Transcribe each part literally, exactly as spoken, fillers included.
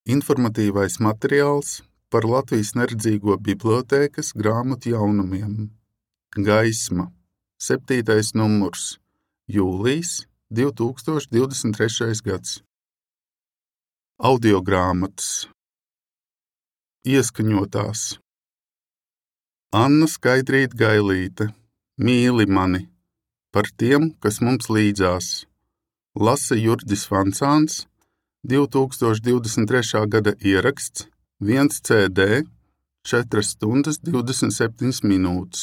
Informatīvais materiāls par Latvijas neredzīgo bibliotēkas grāmatu jaunumiem. Gaisma. Septītais numurs. Jūlijs, divi tūkstoši divdesmit trešais gads. Audiogrāmatas. Ieskaņotās. Anna Skaidrīte Gailīte. Mīli mani. Par tiem, kas mums līdzās. Lasa Jurģis Vancāns. divi tūkstoši divdesmit trešā gada ieraksts, viens C D, četras stundas divdesmit septiņas minūtes.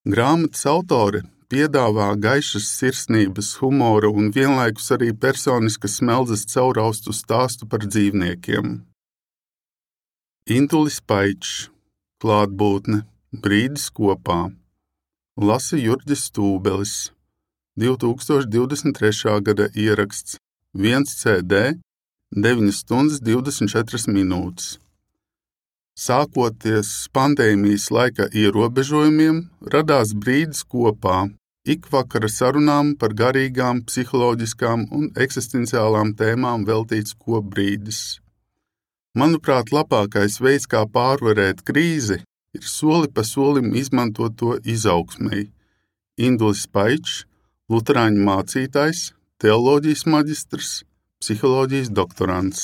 Grāmatas autore piedāvā gaišas sirsnības, humora un vienlaikus arī personiskas smeldzes cauraustu stāstu par dzīvniekiem. Intulis Paičs, klātbūtne, brīdis kopā. Lasa Jurģis Stūbelis, divi tūkstoši divdesmit trešā gada ieraksts, viens C D, deviņas stundas divdesmit četras minūtes. Sākoties pandēmijas laika ierobežojumiem, radās brīdis kopā, ikvakara sarunām par garīgām, psiholoģiskām un eksistenciālām tēmām veltīts kopbrīdis. Manuprāt, labākais veids, kā pārvarēt krīzi, ir soli pa solim izmantot to izaugsmei. Indulis Paičs, luterāņu mācītājs, teoloģijas maģistrs, psiholoģijas doktorants.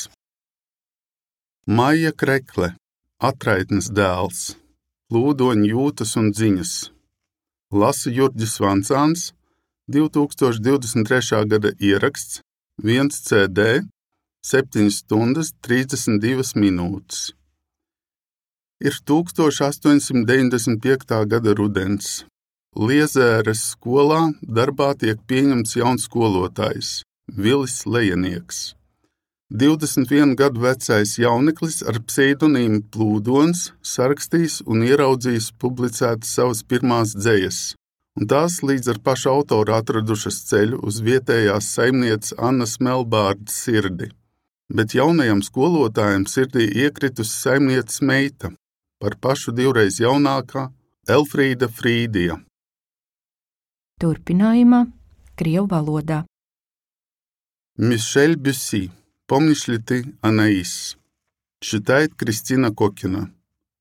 Maija Krekle, Atraitnes dēls, plūdoņu jūtas un ziņas. Lasa Jurģis Vancāns, divi tūkstoši divdesmit trešā gada ieraksts, viens C D, septiņas stundas trīsdesmit divas minūtes. Ir tuldstoš astoņsimt deviņdesmit piektā gada rudens. Liezēras skolā darbā tiek pieņemts jauns skolotājs, Vilis Lejenieks. divdesmit vienu gadu vecais jauneklis ar pseidonīmu Plūdons sarakstījis un ieraudzījis publicētas savas pirmās dzejas, un tās līdz ar pašu autoru atradušas ceļu uz vietējās saimnieces Annas Melbārdas sirdi. Bet jaunajam skolotājam sirdī iekritusi saimnieces meita, par pašu divreiz jaunākā Elfrīda Frīdija. Turpinājumā krievu valodā. Мишель Бюсси. Помнишь ли ты, Анаис? Читает Кристина Кокина.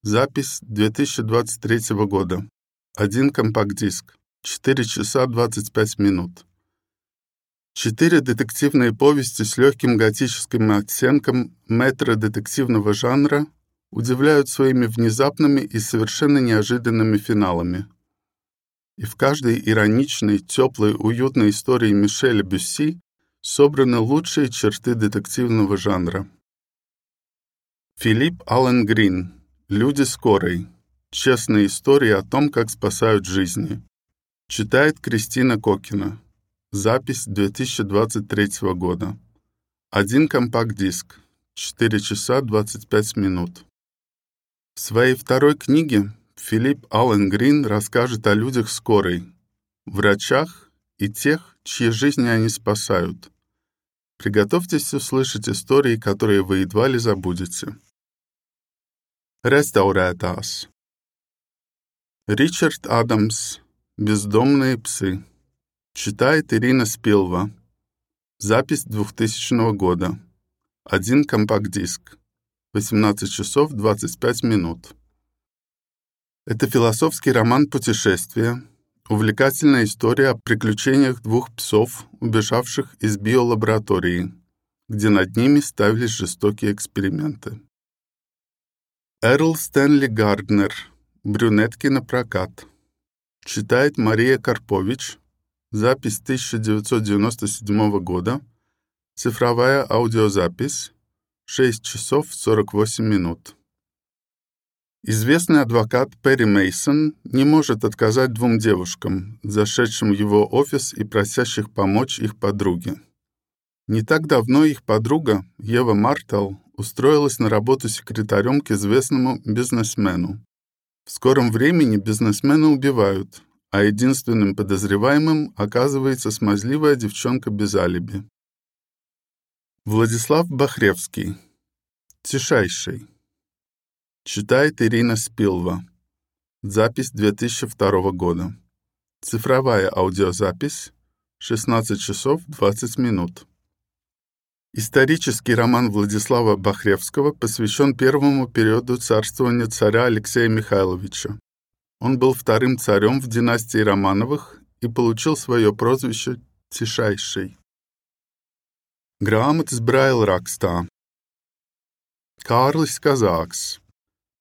Запись две тысячи двадцать третьего года. Один компакт-диск. четыре часа двадцать пять минут. Четыре детективные повести с легким готическим оттенком метро-детективного жанра удивляют своими внезапными и совершенно неожиданными финалами. И в каждой ироничной, теплой, уютной истории Мишеля Бюсси собраны лучшие черты детективного жанра. Филипп Аллен Грин. Люди скорой. Честные истории о том, как спасают жизни. Читает Кристина Кокина. Запись две тысячи двадцать третьего года. Один компакт-диск. четыре часа двадцать пять минут. В своей второй книге Филипп Аллен Грин расскажет о людях скорой, врачах и тех, чьи жизни они спасают. Приготовьтесь услышать истории, которые вы едва ли забудете. Restaurētās. Ричард Адамс. Бездомные псы. Читает Ирина Спилва. Запись двухтысячного года. Один компакт-диск. восемнадцать часов двадцать пять минут. Это философский роман «Путешествие», увлекательная история о приключениях двух псов, убежавших из биолаборатории, где над ними ставились жестокие эксперименты. Эрл Стэнли Гарднер. Брюнетки на прокат. Читает Мария Карпович. Запись тысяча девятьсот девяносто седьмого года. Цифровая аудиозапись. шесть часов сорок восемь минут. Известный адвокат Перри Мейсон не может отказать двум девушкам, зашедшим в его офис и просящих помочь их подруге. Не так давно их подруга, Ева Мартел, устроилась на работу секретарем к известному бизнесмену. В скором времени бизнесмена убивают, а единственным подозреваемым оказывается смазливая девчонка без алиби. Владислав Бахревский. Тишайший. Читает Ирина Спилва. Запись две тысячи второго года. Цифровая аудиозапись. шестнадцать часов двадцать минут. Исторический роман Владислава Бахревского посвящен первому периоду царствования царя Алексея Михайловича. Он был вторым царем в династии Романовых и получил свое прозвище Тишайший. Grāmatas brailrakstā. Kārlis Kazāks.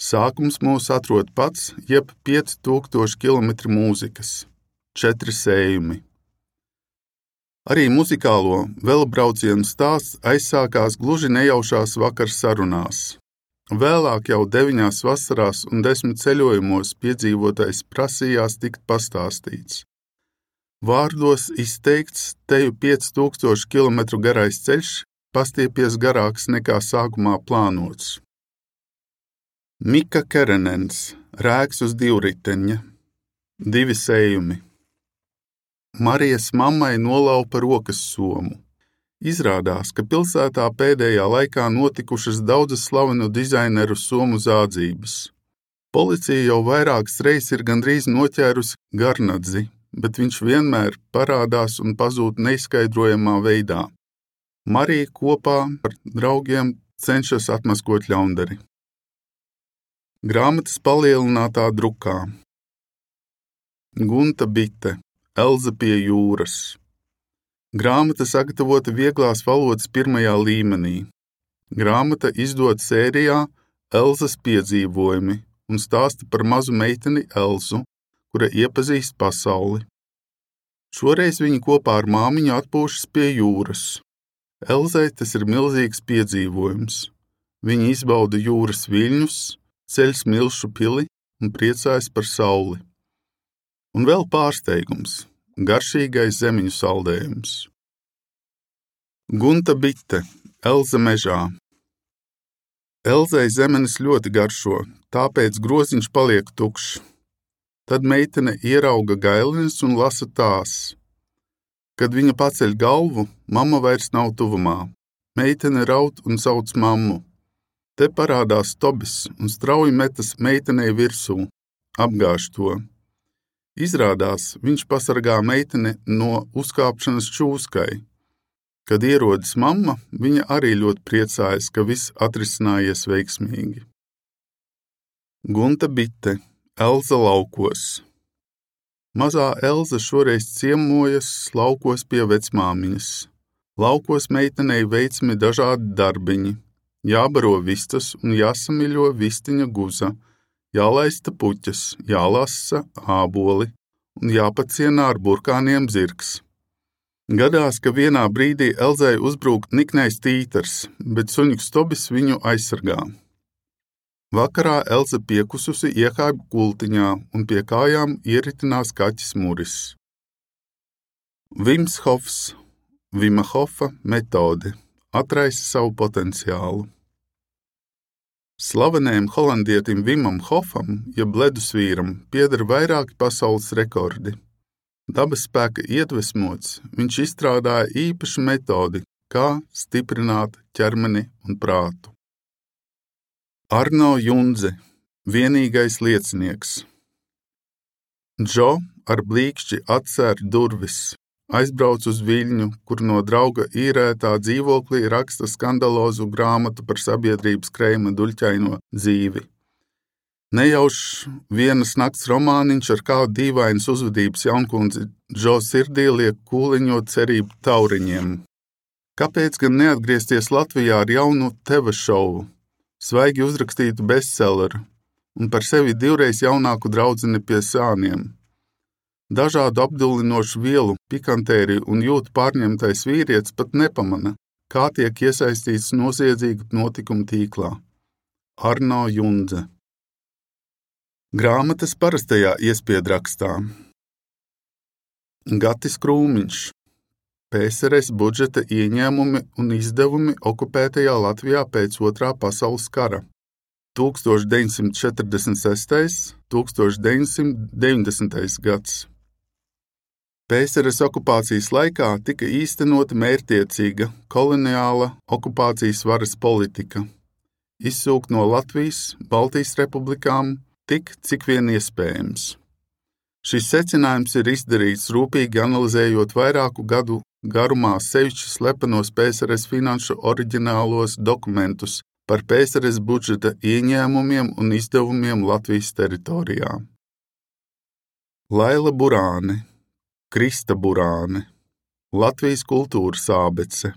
Sākums mūs atrod pats, jeb pieci tūkstoši kilometri mūzikas. Četri sējumi. Arī muzikālo velebraucienu stāsts aizsākās gluži nejaušās vakar sarunās. Vēlāk jau deviņās vasarās un desmit ceļojumos piedzīvotais prasījās tikt pastāstīts. Vārdos izteikts teju pieci tūkstoši kilometru garais ceļš pastiepies garāks nekā sākumā plānots. Mika Kerenens, Rēks uz divriteņa. Divi sējumi. Marijas mammai nolaupa rokas somu. Izrādās, ka pilsētā pēdējā laikā notikušas daudzas slavenu dizaineru somu zādzības. Policija jau vairākas reizes ir gandrīz noķērusi Garnadzi, bet viņš vienmēr parādās un pazūd neizskaidrojamā veidā. Marija kopā ar draugiem cenšas atmaskot ļaundari. Grāmatas palielinātā drukā. Gunta Bite, Elza pie jūras. Grāmata sagatavota vieglās valodas pirmajā līmenī. Grāmata izdota sērijā Elzas piedzīvojumi un stāsta par mazu meiteni Elzu, kura iepazīst pasauli. Šoreiz viņi kopā ar māmiņu atpūšas pie jūras. Elzai tas ir milzīgs piedzīvojums. Viņa izbauda jūras viļņus, ceļ Smilšu pili un priecājas par sauli. Un vēl pārsteigums – garšīgais zemiņu saldējums. Gunta Bite, Elza mežā. Elzai zemenes ļoti garšo, tāpēc groziņš paliek tukšs. Tad meitene ierauga gailenes un lasa tās. Kad viņa paceļ galvu, mamma vairs nav tuvumā. Meitene raud un sauc mammu. Te parādās Tobis un strauji metas meitenei virsū, apgāž to. Izrādās, viņš pasargā meiteni no uzkāpšanas čūskai. Kad ierodas mamma, viņa arī ļoti priecājas, ka viss atrisinājies veiksmīgi. Gunta Bite, Elza laukos. Mazā Elza šoreiz ciemojas laukos pie vecmāmiņas. Laukos meitenei veicami dažādi darbiņi. Jābaro vistas un jāsamiļo vistiņa guza, jālaista puķas, jālasa āboli un jāpacienā ar burkāniem zirgs. Gadās, ka vienā brīdī Elzai uzbrūk niknais tītars, bet suņuks Tobis viņu aizsargā. Vakarā Elza piekususi iekāp gultiņā un pie kājām ieritinās kaķis Muris. Vims Hofs, Vima Hofa metode, atraisa savu potenciālu. Slavenajam holandietim Vimam Hofam, jeb ledusvīram, pieder vairāki pasaules rekordi. Dabas spēka iedvesmots, viņš izstrādāja īpašu metodi, kā stiprināt ķermeni un prātu. Arno Jundze, vienīgais liecinieks. Džo ar blīkšķi atcer durvis, aizbrauc uz Viļņu, kur no drauga īrētā dzīvoklī raksta skandalozu grāmatu par sabiedrības kreima duļķaino dzīvi. Nejaušs vienas nakts romāniņš ar kādu dīvainas uzvedības jaunkundzi Džo sirdī liek kūliņot cerību tauriņiem. Kāpēc gan neatgriezties Latvijā ar jaunu teva šovu, svaigi uzrakstītu bestselleru un par sevi divreiz jaunāku draudzeni pie sāniem? Dažādu apdullinošu vielu, pikantēriju un jūtu pārņemtais vīrietis pat nepamana, kā tiek iesaistīts noziedzīgu notikumu tīklā. Arno Jundze. Grāmatas parastajā iespiedrakstā. Gatis Krūmiņš. P S R S budžeta ieņēmumi un izdevumi okupētajā Latvijā pēc Otrā pasaules kara. tūkstoš deviņsimt četrdesmit sestais - tūkstoš deviņsimt deviņdesmitais gads. P S R S okupācijas laikā tika īstenota mērķtiecīga koloniāla okupācijas varas politika. Izsūkt no Latvijas, Baltijas republikām tik, cik vien iespējams. Šis secinājums ir izdarīts rūpīgi analizējot vairāku gadu garumā sevišķi slepenos P S R S finanšu oriģinālos dokumentus par P S R S budžeta ieņēmumiem un izdevumiem Latvijas teritorijā. Laila Burāne, Krista Burāne, Latvijas kultūras ābece,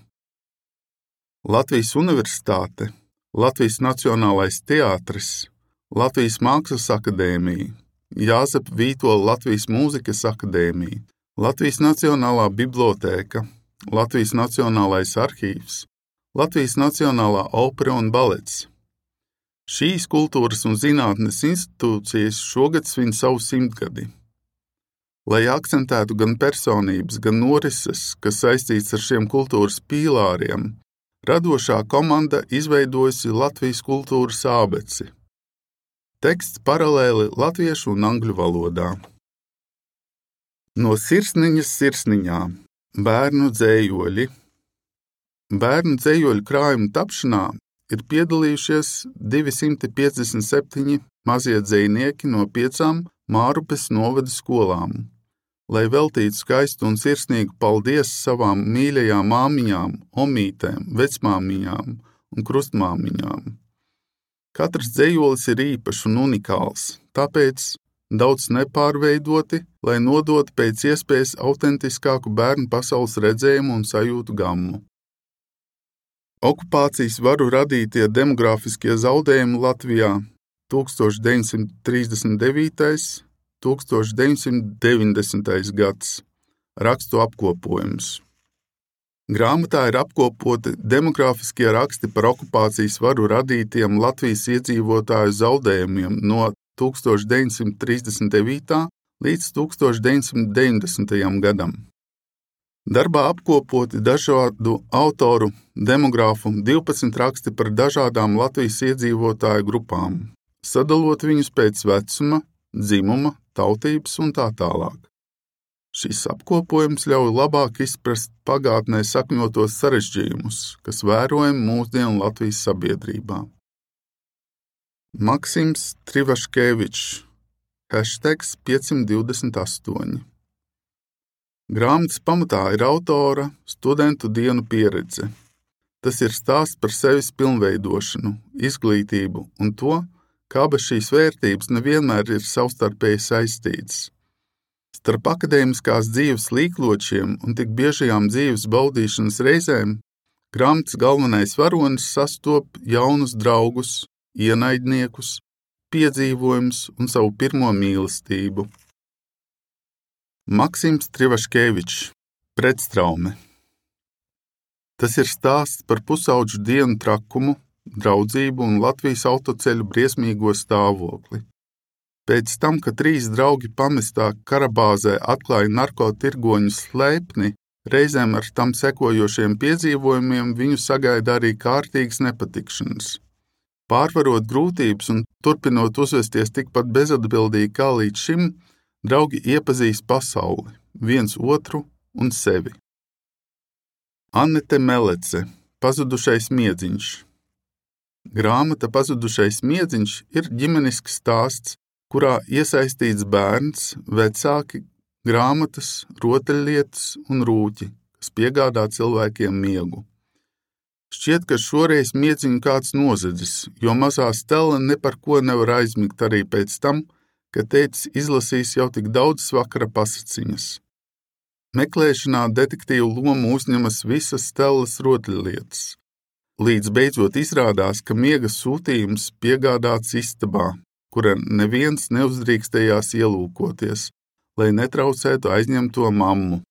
Latvijas universitāte, Latvijas Nacionālais teātris, Latvijas Mākslas akadēmija, Jāzepa Vītola Latvijas mūzikas akadēmija, Latvijas Nacionālā bibliotēka, Latvijas Nacionālais arhīvs, Latvijas Nacionālā opera un balets. Šīs kultūras un zinātnes institūcijas šogad svin savu simtgadi. Lai akcentētu gan personības, gan norises, kas saistīts ar šiem kultūras pīlāriem, radošā komanda izveidojusi Latvijas kultūras ābeci. Teksts paralēli latviešu un angļu valodā. No sirsniņas sirsniņā – bērnu dzējoļi. Bērnu dzējoļu krājuma tapšanā ir piedalījušies divi simti piecdesmit septiņi mazie dzejnieki no piecām Mārupes novada skolām, lai veltītu skaistu un sirsnīgu paldies savām mīļajām māmiņām, omītēm, vecmāmiņām un krustmāmiņām. Katrs dzejolis ir īpašs un unikāls, tāpēc daudz nepārveidoti, lai nodotu pēc iespējas autentiskāku bērnu pasaules redzējumu un sajūtu gammu. Okupācijas varu radītie demogrāfiskie zaudējumi Latvijā tūkstoš deviņsimt trīsdesmit devītais – tūkstoš deviņsimt deviņdesmitais gads, rakstu apkopojums. Grāmatā ir apkopoti demogrāfiskie raksti par okupācijas varu radītiem Latvijas iedzīvotāju zaudējumiem no tūkstoš deviņsimt trīsdesmit devītā līdz tūkstoš deviņsimt deviņdesmitajam gadam. Darbā apkopoti dažādu autoru, demogrāfu divpadsmit raksti par dažādām Latvijas iedzīvotāju grupām, sadalot viņus pēc vecuma, dzimuma, tautības un tā tālāk. Šis apkopojums ļauj labāk izprast pagātnē sakņotos sarežģījumus, kas vērojami mūsdienu Latvijas sabiedrībā. Maksims Trivaškevičs, hashtags piecsimt divdesmit astoņi. Grāmatas pamatā ir autora studentu dienu pieredze. Tas ir stāsts par sevis pilnveidošanu, izglītību un to, kā bez šīs vērtības nevienmēr ir savstarpēji saistītas. Starp akadēmiskās dzīves līkločiem un tik biežajām dzīves baudīšanas reizēm grāmatas galvenais varonis sastop jaunus draugus, ienaidniekus, piedzīvojumus un savu pirmo mīlestību. Maksims Trivaškevičs, pretstraume. Tas ir stāsts par pusaudžu dienu trakumu, draudzību un Latvijas autoceļu briesmīgo stāvokli. Pēc tam, kad trīs draugi pamestā Karabāzē atklāja narkotirgoņu slēpni, reizēm ar tam sekojošiem piedzīvojumiem viņu sagaida arī kārtīgas nepatikšanas. Pārvarot grūtības un turpinot uzvesties tikpat bezatbildīgi kā līdz šim, draugi iepazīst pasauli, viens otru un sevi. Annete Melece, pazudušais miedziņš. Grāmata Pazudušais miedziņš ir ģimenisks stāsts, kurā iesaistīts bērns, vecāki, grāmatas, rotaļlietas un rūķi, kas piegādā cilvēkiem miegu. Šķiet, ka šoreiz miedziņu kāds nozadzis, jo mazā Stela ne par ko nevar aizmigt arī pēc tam, ka tētis izlasīs jau tik daudzas vakara pasaciņas. Meklēšanā detektīvu lomu uzņemas visas Stelas rotaļlietas. Līdz beidzot izrādās, ka miega sūtījums piegādāts istabā, kura neviens neuzdrīkstējās ielūkoties, lai netraucētu aizņemto mammu.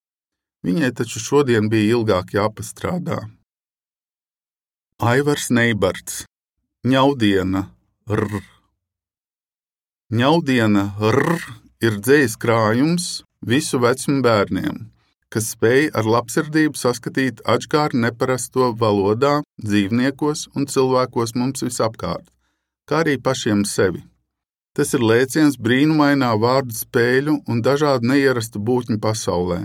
Viņai taču šodien bija ilgāk jāpastrādā. Aivars Neibarts, Ņaudiena, rr. Ņaudiena, rr, ir dzejas krājums visu vecumu bērniem, kas spēj ar labsirdību saskatīt atžkāri neparasto valodā, dzīvniekos un cilvēkos mums visapkārt, kā arī pašiem sevi. Tas ir lēciens brīnumainā vārdu spēļu un dažādu neierastu būtņu pasaulē,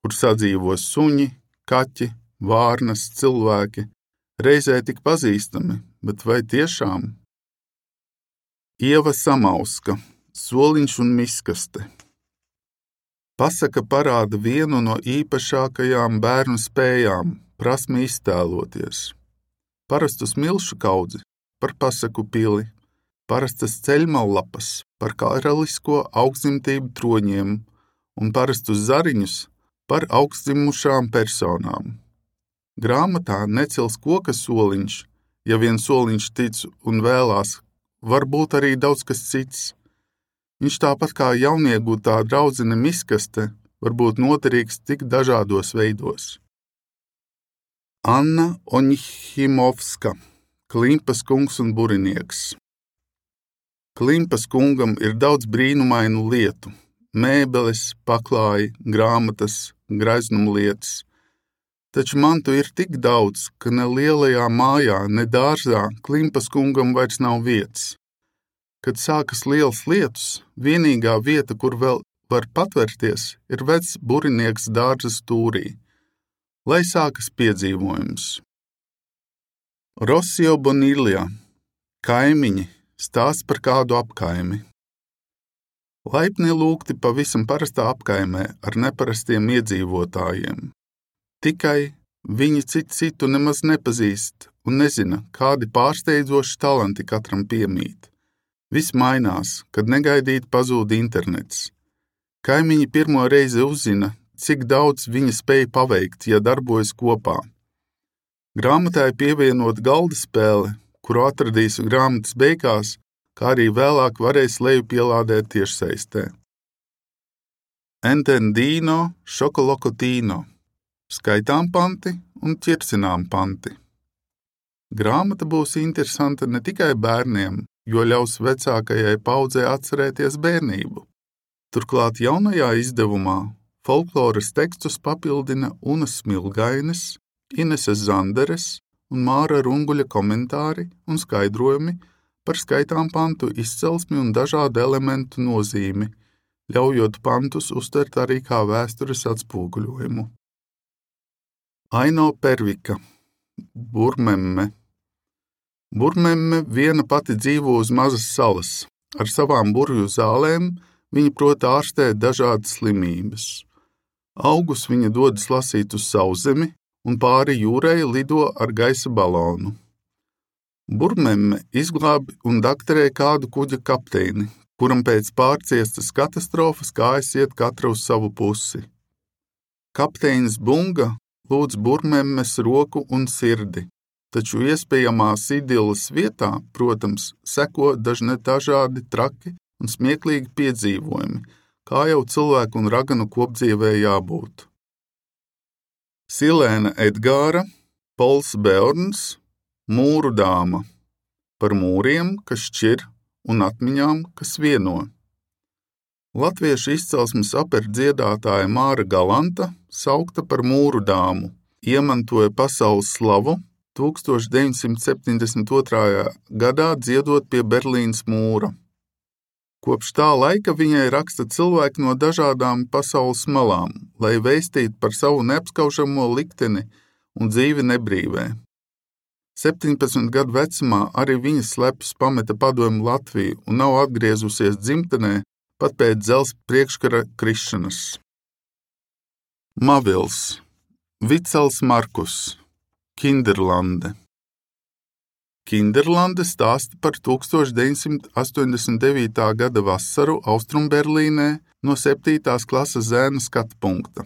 kur sadzīvo suņi, kaķi, vārnas, cilvēki, reizē tik pazīstami, bet vai tiešām? Ieva Samauska, Soliņš un miskaste. Pasaka parāda vienu no īpašākajām bērnu spējām – prasmi iztēloties. Parastu smilšu kaudzi par pasaku pili, parastas ceļmallapas par karalisko augstdzimtību troņiem un parastus zariņus par augstdzimušām personām. Grāmatā necils koka soliņš, ja vien soliņš tic un vēlās, varbūt arī daudz kas cits. Viņš tāpat kā jauniegūtā draudzene miskaste var būt noderīgs tik dažādos veidos. Anna Oņhimovska, Klimpas kungs un burinieks. Klimpas kungam ir daudz brīnumainu lietu – mēbeles, paklāji, grāmatas, greznumlietas. Taču mantu ir tik daudz, ka ne lielajā mājā, ne dārzā Klimpas kungam vairs nav vietas. Kad sākas lielas lietas, vienīgā vieta, kur vēl var patvērties, ir vecs burinieks dārza stūrī. Lai sākas piedzīvojums. Rossio Bonilja, kaimiņi, stāsts par kādu apkaimi. Laipni lūgti pavisam parastā apkaimē ar neparastiem iedzīvotājiem. Tikai viņi citu citu nemaz nepazīst un nezina, kādi pārsteidzoši talanti katram piemīt. Viss mainās, kad negaidīt pazūd internets. Kaimiņi pirmo reizi uzzina, cik daudz viņi spēj paveikt, ja darbojas kopā. Grāmatai pievienot galda spēle, kuru atradīs grāmatas beigās, kā arī vēlāk varēs leju pielādēt tiešsaistē. Entendino Šokolokotino, skaitām panti un ķircinām panti. Grāmata būs interesanta ne tikai bērniem, jo ļaus vecākajai paudzei atcerēties bērnību. Turklāt jaunajā izdevumā folkloras tekstus papildina Unas Smilgaines, Ineses Zanderes un Māra Runguļa komentāri un skaidrojumi par skaitām pantu izcelsmi un dažādu elementu nozīmi, ļaujot pantus uztvert arī kā vēstures atspoguļojumu. Aino Pervika, Burmemme. Burmemme viena pati dzīvo uz mazas salas. Ar savām burvju zālēm viņa prot ārstēt dažādas slimības. Augus viņa dodas lasīt uz sauszemi un pāri jūrai lido ar gaisa balonu. Burmemme izglābi un dakterē kādu kuģa kapteini, kuram pēc pārciestas katastrofas kājas iet katra uz savu pusi. Kapteinis Bunga lūdz Burmemmes roku un sirdi. Taču iespējamās idilles vietā, protams, seko dažne dažādi traki un smieklīgi piedzīvojumi, kā jau cilvēku un raganu kopdzīvē jābūt. Silēna Edgāra, Pols Beorns, Mūru dāma, par mūriem, kas šķir, un atmiņām, kas vieno. Latviešu izcelsmes operas dziedātāja Māra Galanta, saukta par Mūru dāmu, iemantoja pasaules slavu tūkstoš deviņsimt septiņdesmit otrajā gadā dziedot pie Berlīnas mūra. Kopš tā laika viņai raksta cilvēki no dažādām pasaules malām, lai vēstītu par savu neapskaužamo likteni un dzīvi nebrīvē. septiņpadsmit gadu vecumā arī viņa slepus pameta padomju Latviju un nav atgriezusies dzimtenē pat pēc dzelzs priekškara krišanas. Mavils, Vicels Markus, Kinderlande. Kinderlande stāsta par tūkstoš deviņsimt astoņdesmit devītā gada vasaru Austrumberlīnē no septītās klases zēna skatu punkta.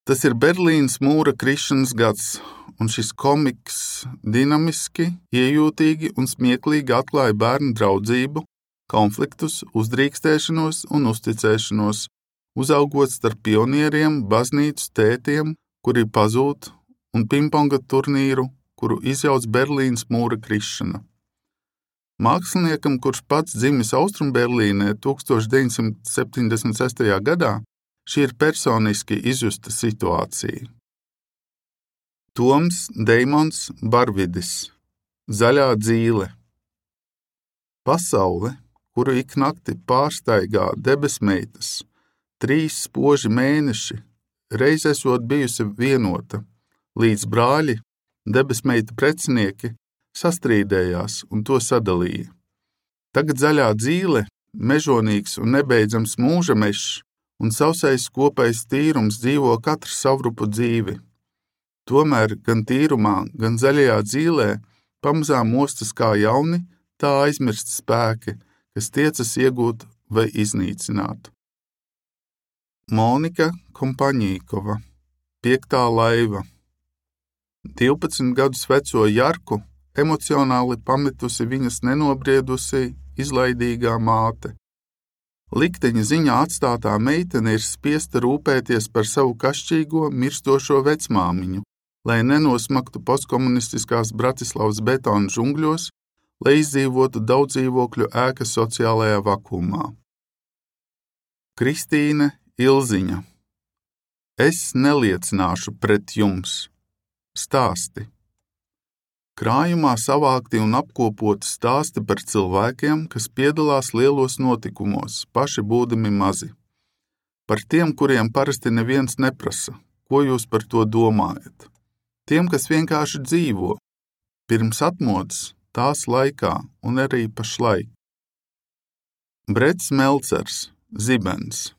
Tas ir Berlīnas mūra krišanas gads, un šis komiks dinamiski, iejūtīgi un smieklīgi atklāja bērnu draudzību, konfliktus, uzdrīkstēšanos un uzticēšanos, uzaugot starp pionieriem, baznīcas tētiem, kuri pazūd, un pingponga turnīru, kuru izjauc Berlīnas mūra krišana. Māksliniekam, kurš pats dzimis Austrumberlīnē tūkstoš deviņsimt septiņdesmit sestajā gadā, šī ir personiski izjusta situācija. Toms Deimons Barvidis, Zaļā dzīle. Pasaule, kuru ik nakti pārstaigā debesmeitas, trīs spoži mēneši, reiz esot bijusi vienota, līdz brāļi, debesmeita precinieki, sastrīdējās un to sadalīja. Tagad zaļā dzīle, mežonīgs un nebeidzams mūža mežs, un sausais kopējs tīrums dzīvo katru savrupu dzīvi. Tomēr gan tīrumā, gan zaļajā dzīlē pamazām mostas kā jauni, tā aizmirsti spēki, kas tiecas iegūt vai iznīcināt. Monika Kompaņīkova, Piektā laiva. divpadsmit gadus veco Jarku emocionāli pametusi viņas nenobriedusī, izlaidīgā māte. Likteņa ziņā atstātā meitene ir spiesta rūpēties par savu kašķīgo, mirstošo vecmāmiņu, lai nenosmaktu postkomunistiskās Bratislavas betona žungļos, lai izdzīvotu daudzdzīvokļu ēkas sociālajā vakumā. Kristīne Ilziņa. Es neliecināšu pret jums. Stāsti. Krājumā savākti un apkopoti stāsti par cilvēkiem, kas piedalās lielos notikumos, paši būdami mazi. Par tiem, kuriem parasti neviens neprasa, ko jūs par to domājat. Tiem, kas vienkārši dzīvo, pirms atmodas, tās laikā un arī pašlaik. Brets Melcers, Zibens.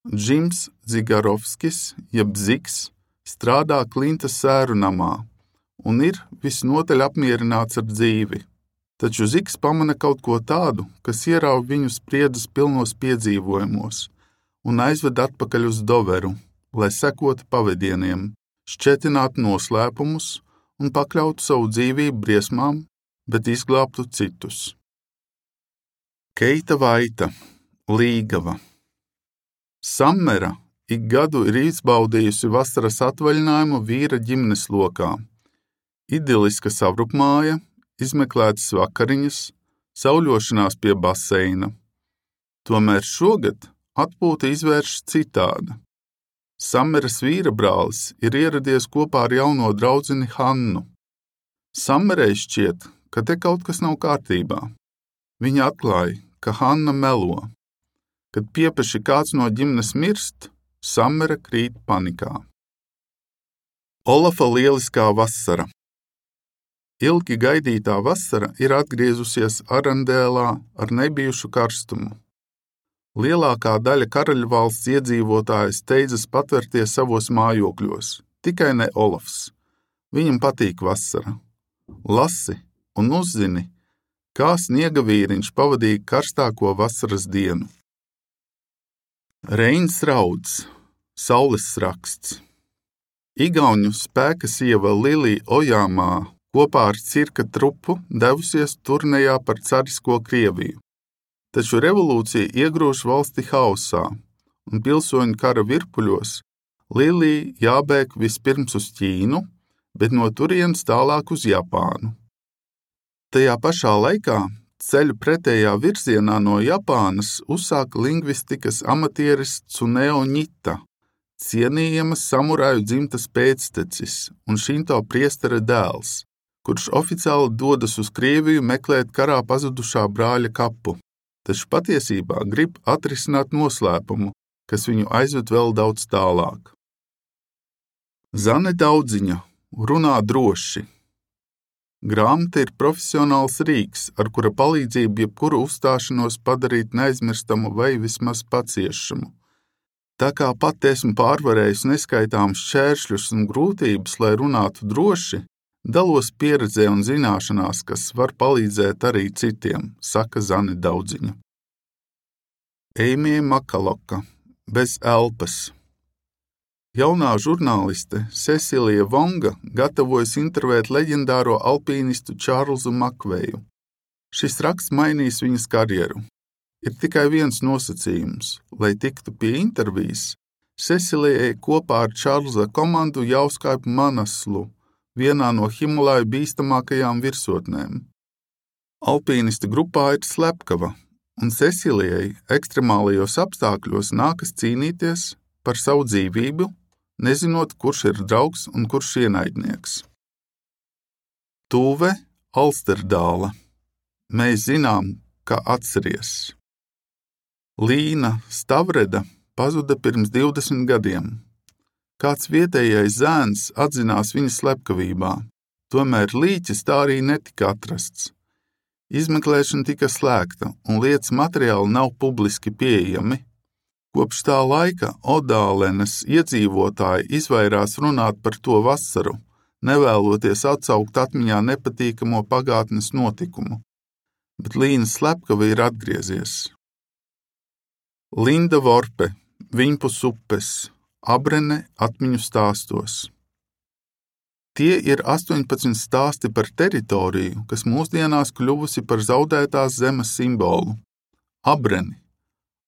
Džims Zigarovskis, jeb Ziks, strādā Klintas sēru namā un ir visnotaļ apmierināts ar dzīvi. Taču Ziks pamana kaut ko tādu, kas ierauj viņu spriedzes pilnos piedzīvojumos un aizved atpakaļ uz Doveru, lai sekotu pavedieniem, šķetinātu noslēpumus un pakļautu savu dzīvību briesmām, bet izglābtu citus. Keita Vaita, Līgava. Sammera ik gadu ir izbaudījusi vasaras atvaļinājumu vīra ģimenes lokā. Idiliska savrupmāja, izmeklētas vakariņas, sauļošanās pie baseina. Tomēr šogad atpūta izvēršas citāda. Sammeras vīrabrālis ir ieradies kopā ar jauno draudzeni Hannu. Sammerai šķiet, ka te kaut kas nav kārtībā. Viņa atklāja, ka Hanna melo. Kad piepeši kāds no ģimenes mirst, Sammera krīt panikā. Olafa lieliskā vasara. Ilgi gaidītā vasara ir atgriezusies Arandēlā ar nebijušu karstumu. Lielākā daļa karaļvalsts iedzīvotāji steidzas patvērties savos mājokļos, tikai ne Olafs. Viņam patīk vasara. Lasi un uzzini, kā sniega vīriņš pavadīja karstāko vasaras dienu. Reins Rauds, Saules raksts. Igauņu spēka sieva Lilija Ojāmā kopā ar cirka trupu devusies turnejā par carisko Krieviju. Taču revolūcija iegrūž valsti haosā, un pilsoņu kara virpuļos Lilija jābēg vispirms uz Ķīnu, bet no turienes tālāk uz Japānu. Tajā pašā laikā ceļu pretējā virzienā no Japānas uzsāka lingvistikas amatieris Tsuneo Ņita, cienījama samuraju dzimtas pēctecis un šinto priestera dēls, kurš oficiāli dodas uz Krieviju meklēt karā pazudušā brāļa kapu, taču patiesībā grib atrisināt noslēpumu, kas viņu aizved vēl daudz tālāk. Zane Daudziņa, Runā droši. Grāmata ir profesionāls rīks, ar kura palīdzību jebkuru uzstāšanos padarīt neaizmirstamu vai vismaz paciešamu. Tā kā pat esmu pārvarējis neskaitāmus šķēršļus un grūtības, lai runātu droši, dalos pieredzē un zināšanās, kas var palīdzēt arī citiem, saka Zane Daudziņa. Eimija Makaloka, Bez elpas. Jaunā žurnāliste Cecilija Vonga gatavojas intervēt leģendāro alpīnistu Čārlzu Makveju. Šis raksts mainīs viņas karjeru. Ir tikai viens nosacījums, lai tiktu pie intervijas, Cecilijai kopā ar Čārlza komandu jāuzkāpj Manaslu, vienā no Himalaju bīstamākajām virsotnēm. Alpīnistu grupā ir slepkava, un Cecilijai ekstremālajos apstākļos nākas cīnīties par savu dzīvību, nezinot, kurš ir draugs un kurš ienaidnieks. Tūve Alsterdāla. Mēs zinām, ka atceries. Līna Stavreda pazuda pirms divdesmit gadiem. Kāds vietējais zēns atzinās viņas slepkavībā, tomēr līķis tā arī netika atrasts. Izmeklēšana tika slēgta un lietas materiāli nav publiski pieejami. Kopš tā laika Odālenes iedzīvotāji izvairās runāt par to vasaru, nevēloties atsaukt atmiņā nepatīkamo pagātnes notikumu, bet Līnas slepkava ir atgriezies. Linda Vorpe, Viņpus upes, Abrene atmiņu stāstos. Tie ir astoņpadsmit stāsti par teritoriju, kas mūsdienās kļuvusi par zaudētās zemes simbolu. Abreni,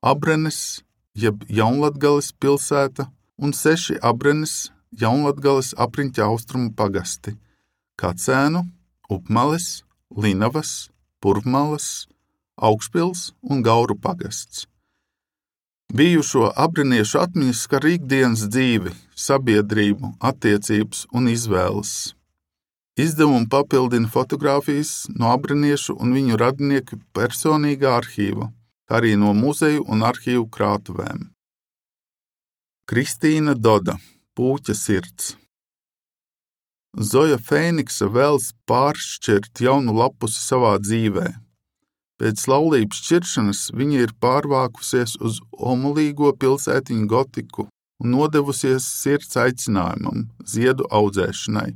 Abrenes, jeb Jaunlatgales pilsēta un seši Abrenes Jaunlatgales apriņķa austrumu pagasti – Kacēnu, Upmales, Linavas, Purvmalas, Augšpils un Gauru pagasts. Bijušo abreniešu atmiņas skar ikdienas dzīvi, sabiedrību, attiecības un izvēles. Izdevumu papildina fotogrāfijas no abreniešu un viņu radinieku personīgā arhīva, kā arī no muzeju un arhīvu krātuvēm. Kristīna Doda, Pūķa sirds. Zoja Fēniksa vēlas pāršķirt jaunu lapusi savā dzīvē. Pēc laulības šķiršanas viņa ir pārvākusies uz omulīgo pilsētiņu Gotiku un nodevusies sirds aicinājumam, ziedu audzēšanai.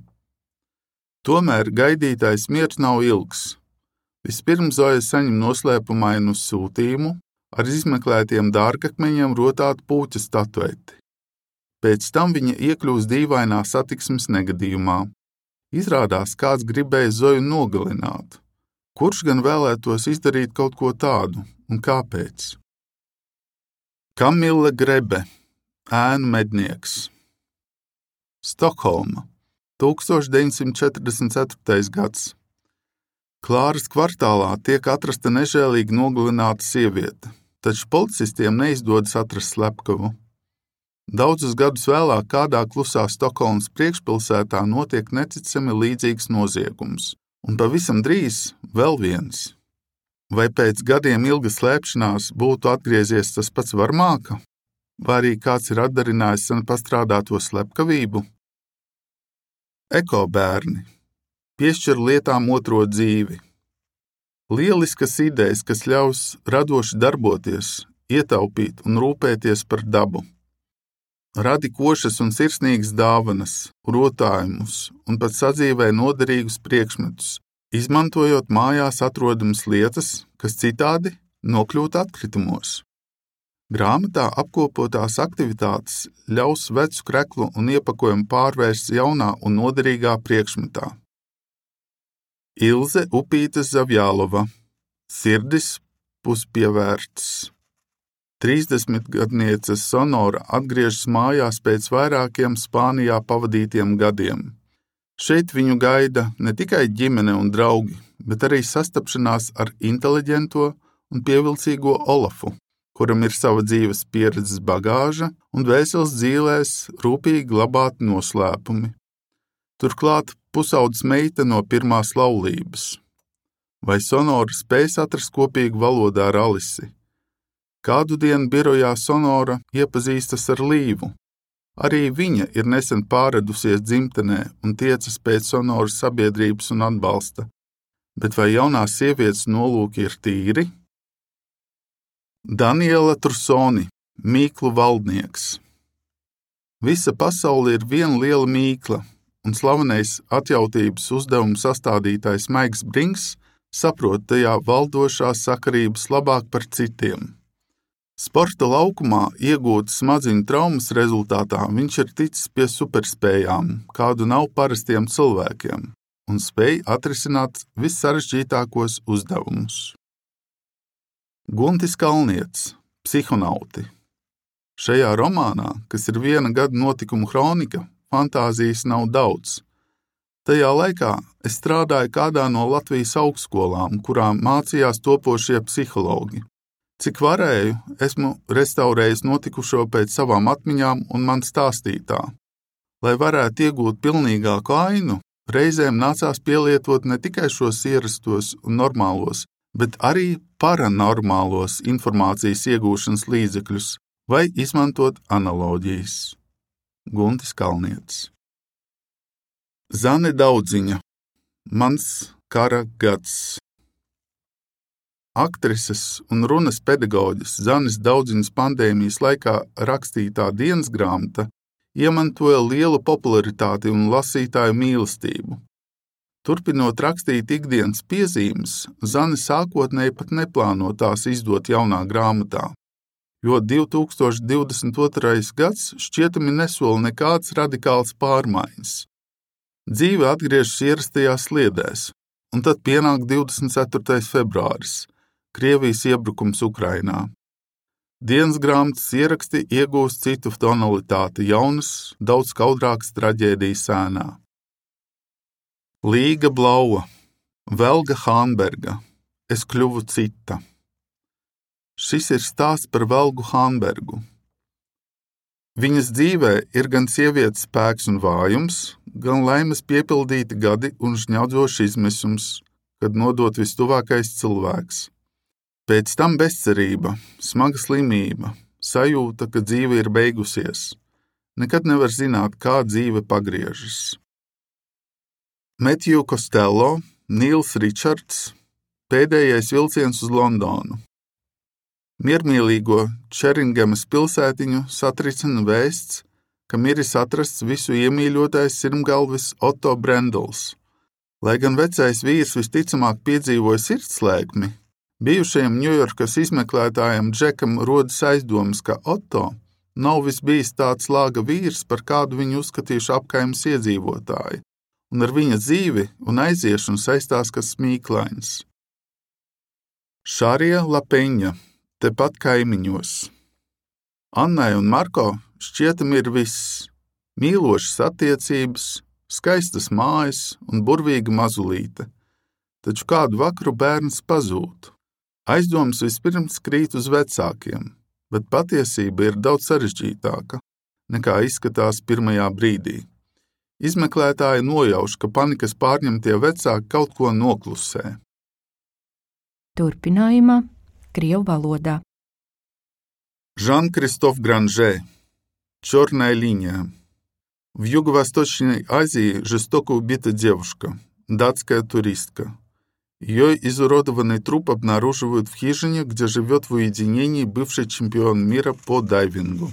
Tomēr gaidītais miers nav ilgs. Vispirms Zoja saņem noslēpumainu sūtījumu ar izmeklētiem dārgakmeņiem rotātu pūķa statueti. Pēc tam viņa iekļūst dīvainā satiksmes negadījumā. Izrādās, kāds gribēja Zoju nogalināt. Kurš gan vēlētos izdarīt kaut ko tādu, un kāpēc? Kamila Grebe, Ēnu mednieks. Stokholma, tūkstoš deviņsimt četrdesmit ceturtais gads. Klāras kvartālā tiek atrasta nežēlīgi nogalināta sieviete, taču policistiem neizdodas atrast slepkavu. Daudzus gadus vēlāk kādā klusā Stokholmas priekšpilsētā notiek neticami līdzīgs noziegums. Un pavisam drīz vēl viens. Vai pēc gadiem ilgas slēpšanās būtu atgriezies tas pats varmāka? Vai arī kāds ir atdarinājis sen pastrādāto slepkavību? Ekobērni. Piešķir lietām otro dzīvi. Lieliskas idejas, kas ļaus radoši darboties, ietaupīt un rūpēties par dabu. Radi košas un sirsnīgas dāvanas, rotājumus un pat sadzīvē noderīgus priekšmetus, izmantojot mājās atrodamas lietas, kas citādi nokļūt atkritumos. Grāmatā apkopotās aktivitātes ļaus vecu kreklu un iepakojumu pārvērst jaunā un noderīgā priekšmetā. Ilze Upīte Zavjālova, Sirdis puspievērts. trīsdesmitgadniece Sonora atgriežas mājās pēc vairākiem Spānijā pavadītiem gadiem. Šeit viņu gaida ne tikai ģimene un draugi, bet arī sastapšanās ar inteliģento un pievilcīgo Olafu, kuram ir sava dzīves pieredzes bagāža un dvēseles dzīlēs rūpīgi glabāti noslēpumi. Turklāt pusaudzes meita no pirmās laulības. Vai Sonora spēs atrast kopīgu valodu ar Alisi? Kādu dienu birojā Sonora iepazīstas ar Līvu. Arī viņa ir nesen pāredusies dzimtenē un tiecas pēc Sonoras sabiedrības un atbalsta. Bet vai jaunās sievietes nolūki ir tīri? Daniela Trursoni, Mīklu valdnieks. Visa pasaule ir viena liela mīkla, un slavenais atjautības uzdevumu sastādītājs Maiks Brinks saprot tajā valdošās sakarības labāk par citiem. Sporta laukumā iegūtas smadziņu traumas rezultātā viņš ir ticis pie superspējām, kādu nav parastiem cilvēkiem, un spēj atrisināt vissarežģītākos uzdevumus. Guntis Kalnietis, Psihonauti. Šajā romānā, kas ir viena gada notikumu kronika, fantāzijas nav daudz. Tajā laikā es strādāju kādā no Latvijas augstskolām, kurām mācījās topošie psihologi. Cik varēju, esmu restaurējis notikušo pēc savām atmiņām un man stāstītā. Lai varētu iegūt pilnīgāku ainu, reizēm nācās pielietot ne tikai šos ierastos un normālos, bet arī paranormālos informācijas iegūšanas līdzekļus vai izmantot analoģijas. Guntis Kalnietis. Zane Daudziņa, Mans kara gads. Aktrises un runas pedagoģis Zanes Daudziņas pandēmijas laikā rakstītā dienas grāmata iemantoja lielu popularitāti un lasītāju mīlestību. Turpinot rakstīt ikdienas piezīmes, Zane sākotnēji pat neplāno tās izdot jaunā grāmatā, jo divi tūkstoši divdesmit otrais gads šķietami nesola nekādas radikālas pārmaiņas. Dzīve atgriežas ierastajās sliedēs, un tad pienāk divdesmit ceturtais februāris, Krievijas iebrukums Ukrainā. Dienas grāmatas ieraksti iegūst citu tonalitāti jaunas, daudz skaudrākas traģēdijas ēnā. Līga Blaua, Velga Hānberga, Es kļuvu cita. Šis ir stāsts par Velgu Hānbergu. Viņas dzīvē ir gan sievietes spēks un vājums, gan laimes piepildīti gadi un žņaudzošs izmisums, kad nodot vistuvākais cilvēks. Pēc tam bezcerība, smaga slimība, sajūta, ka dzīve ir beigusies. Nekad nevar zināt, kā dzīve pagriežas. Metju Kostello, Nīls Ričards, Pēdējais vilciens uz Londonu. Miermīlīgo Čeringemas pilsētiņu satricina vēsts, ka miris atrasts visu iemīļotais sirmgalvis Otto Brendels. Lai gan vecais vīrs visticamāk piedzīvoja sirdslēkmi, bijušajam Ņujorkas izmeklētājam Džekam rodas aizdomas, ka Otto nav visbijis tāds lāga vīrs, par kādu viņu uzskatījuši apkaimes iedzīvotāji, un ar viņa dzīvi un aiziešanu saistās kas smīklains. Šarija Lapeņa, tepat kaimiņos. Annai un Marko šķietami ir viss – mīlošas attiecības, skaistas mājas un burvīga mazulīte. Taču kādu vakaru bērns pazūd. Aizdomas vispirms krīt uz vecākiem, bet patiesība ir daudz sarežģītāka, nekā izskatās pirmajā brīdī. Izmeklētāji nojauš, ka panikas pārņemtie vecāki kaut ko noklusē. Turpinājumā Krievu valodā. Жан-Кристоф Гранже. Черная линия. В Юго-Восточной Азии жестоко убита девушка, датская туристка. Ее изуродованный труп обнаруживают в хижине, где живет в уединении бывший чемпион мира по дайвингу.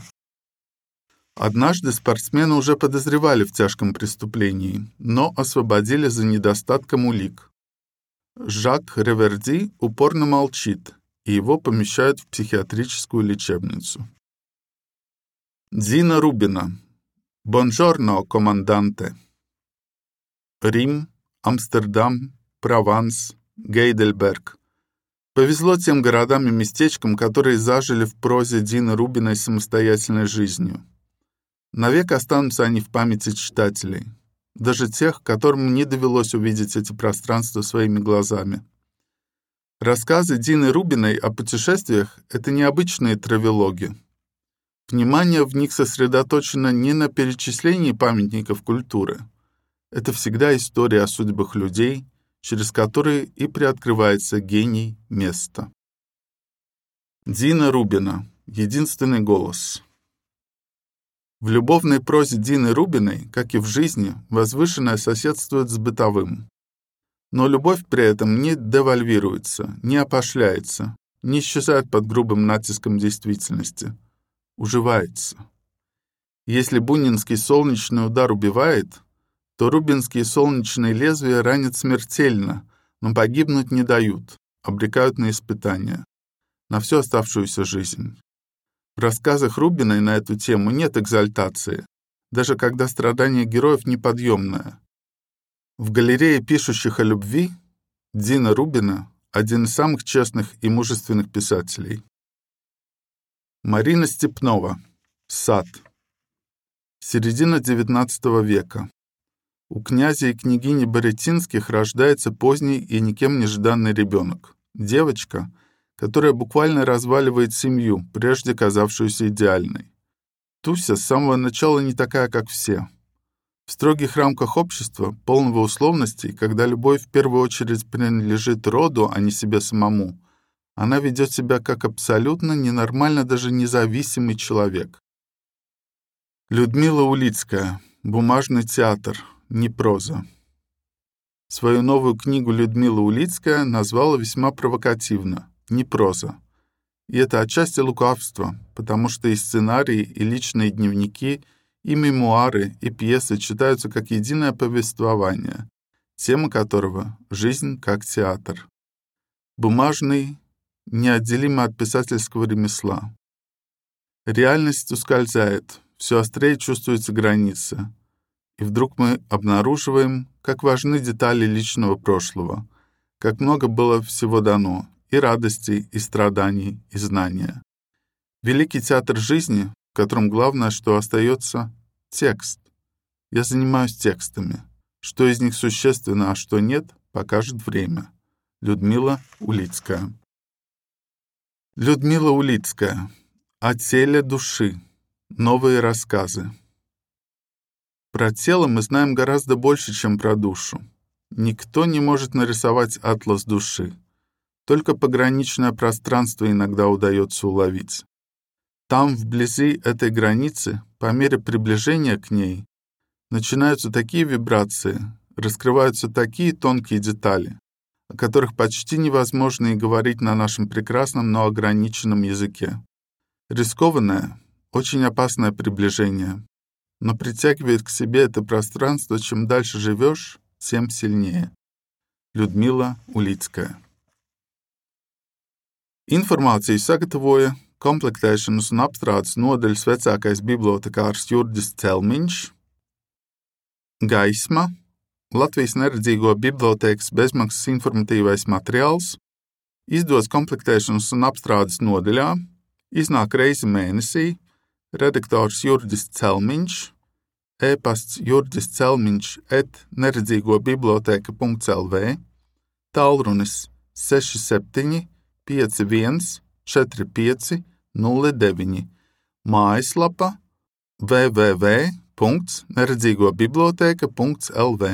Однажды спортсмена уже подозревали в тяжком преступлении, но освободили за недостатком улик. Жак Реверди упорно молчит, и его помещают в психиатрическую лечебницу. Дина Рубина. Бонжорно, команданте. Рим, Амстердам, Прованс, Гейдельберг. Повезло тем городам и местечкам, которые зажили в прозе Дины Рубиной самостоятельной жизнью. Навек останутся они в памяти читателей, даже тех, которым не довелось увидеть эти пространства своими глазами. Рассказы Дины Рубиной о путешествиях – это необычные травелоги. Внимание в них сосредоточено не на перечислении памятников культуры. Это всегда история о судьбах людей, через которые и приоткрывается гений места. Дина Рубина. Единственный голос. В любовной прозе Дины Рубиной, как и в жизни, возвышенное соседствует с бытовым. Но любовь при этом не девальвируется, не опошляется, не исчезает под грубым натиском действительности. Уживается. Если бунинский солнечный удар убивает, то рубинские солнечные лезвия ранят смертельно, но погибнуть не дают, обрекают на испытания, на всю оставшуюся жизнь. В рассказах Рубиной на эту тему нет экзальтации, даже когда страдание героев неподъемное. В галерее пишущих о любви Дина Рубина – один из самых честных и мужественных писателей. Марина Степнова. Сад. Середина девятнадцатого века. У князя и княгини Боретинских рождается поздний и никем не жданный ребенок. Девочка, которая буквально разваливает семью, прежде казавшуюся идеальной. Туся с самого начала не такая, как все. В строгих рамках общества, полного условностей, когда любовь в первую очередь принадлежит роду, а не себе самому, она ведет себя как абсолютно ненормально даже независимый человек. Людмила Улицкая. Бумажный театр. Не проза. Свою новую книгу Людмила Улицкая назвала весьма провокативно «Не проза». И это отчасти лукавство, потому что и сценарии, и личные дневники, и мемуары, и пьесы читаются как единое повествование, тема которого — жизнь как театр. Бумажный неотделимо от писательского ремесла. Реальность ускользает, все острее чувствуется граница, и вдруг мы обнаруживаем, как важны детали личного прошлого, как много было всего дано, и радостей, и страданий, и знания. Великий театр жизни, в котором главное, что остается — текст. Я занимаюсь текстами. Что из них существенно, а что нет, покажет время. Людмила Улицкая. Людмила Улицкая. О теле души. Новые рассказы. Про тело мы знаем гораздо больше, чем про душу. Никто не может нарисовать атлас души. Только пограничное пространство иногда удается уловить. Там, вблизи этой границы, по мере приближения к ней, начинаются такие вибрации, раскрываются такие тонкие детали, о которых почти невозможно и говорить на нашем прекрасном, но ограниченном языке. Рискованное, очень опасное приближение, но притягивает к себе это пространство, чем дальше живешь, тем сильнее. Людмила Улицкая. Informāciju sagatavoja komplektēšanas un apstrādes nodaļas vecākais bibliotekārs Jurģis Celmiņš, Gaisma, Latvijas neredzīgo bibliotēkas bezmaksas informatīvais materiāls, izdots komplektēšanas un apstrādes nodaļā, iznāk reizi mēnesī, redaktors Jurģis Celmiņš, e-pasts jurģis celmiņš et neredzīgobiblioteka punkts el vē, tālrunis seši septiņi pieci viens četri pieci nulle deviņi, mājaslapa w w w punkts neredzīgobiblioteka punkts el vē.